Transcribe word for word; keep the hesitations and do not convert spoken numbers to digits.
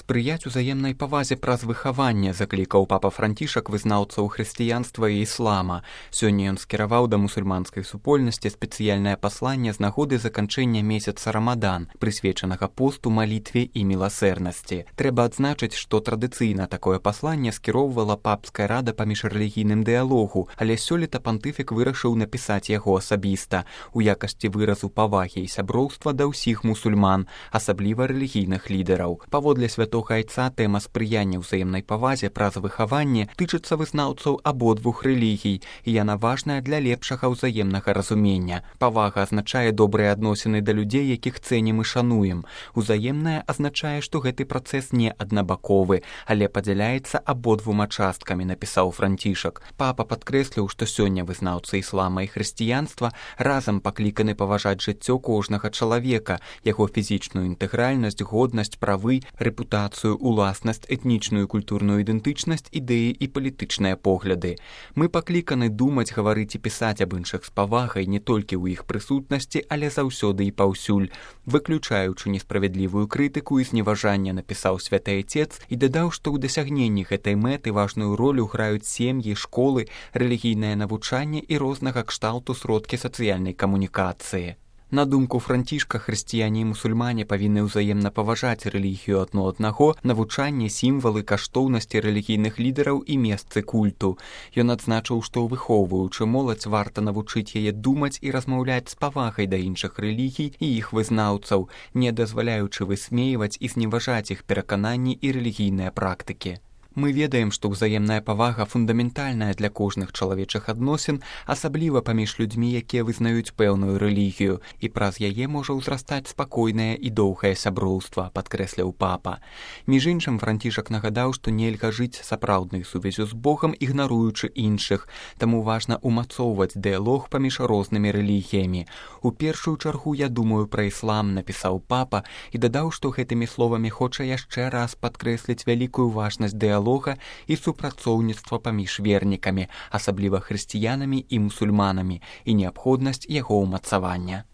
Спрыяць узаемнай павазе праз выхаванне заклікаў папа Францішак вызнаўцаў хрысціянства і іслама. Сёння ён скіраваў да мусульманскай супольнасці спецыяльнае пасланне з нагоды заканчэння месяца Рамадан, прысвечанага посту, малітве і міласэрнасці. Трэба адзначыць, што традыцыйна такое пасланне скіроўвала папская рада па міжрэлігійным дыялогу, але сёлета пантыфік вырашыў напісаць яго асабіста у якасці выразу павагі і сяброўства да ўсіх мусульман, асабліва рэлігійных лідараў. Паводле святога айца тэма спрыяння ўзаемнай павазе праз выхаванне тычыцца вызнаўцаў абодвух рэлігій, і яна важная для лепшага ўзаемнага разумення. Павага азначае добрыя адносіны да людзей, якіх цэнім і шануем. Узаемная азначае, што гэты працэс не аднабаковы, але падзяляецца абодвума часткамі, напісаў Францішак. Папа падкрэсліў, што сёння вызнаўцы іслама і хрысціянства разам пакліканы паважаць жыццё кожнага чалавека, яго фізічную інтэгральнасць, годнасць, правы, рэпутацыю, уласнасць, этнічную і культурную ідэнтычнасць, ідэі і палітычныя погляды. Мы пакліканы думаць, гаварыць і пісаць аб іншых з павагай не толькі ў іх прысутнасці, але заўсёды і паўсюль, выключаючы несправядлівую крытыку і зневажанне, напісаў святы айцец і дадаў, што ў дасягненні гэтай мэты важную ролю граюць сем'і, школы, рэлігійнае навучанне і рознага кшталту сродкі сацыяльнай камунікацыі. На думку Францішка, хрысціяне і мусульмане павінны ўзаемна паважаць рэлігію адно аднаго, навучанне, сімвалы, каштоўнасці рэлігійных лідараў і месцы культу. Ён адзначыў, што выхоўваючы моладзь, варта навучыць яе думаць і размаўляць з павагай да іншых рэлігій і іх вызнаўцаў, не дазваляючы высмейваць і зневажаць іх перакананні і рэлігійныя практыкі. Мы ведаем, што ўзаемная павага фундаментальная для кожных чалавечых адносін, асабліва паміж людзьмі, якія вызнаюць пэўную рэлігію, і праз яе можа ўзрастаць спакойнае і доўгае сяброўства, падкрэсліў папа. Між іншым, Францішак нагадаў, што нельга жыць сапраўднай сувязю з Богам, ігнаруючы іншых, таму важна ўмацоўваць дыялог паміж рознымі рэлігіямі. У першую чаргу я думаю пра іслам, напісаў папа, і дадаў, што гэтымі словамі хоча яшчэ раз падкрэсліць вялікую важнасць дыялогу і супрацоўніцтва паміж вернікамі, асабліва хрысціянамі і мусульманамі, і неабходнасць яго ўмацавання.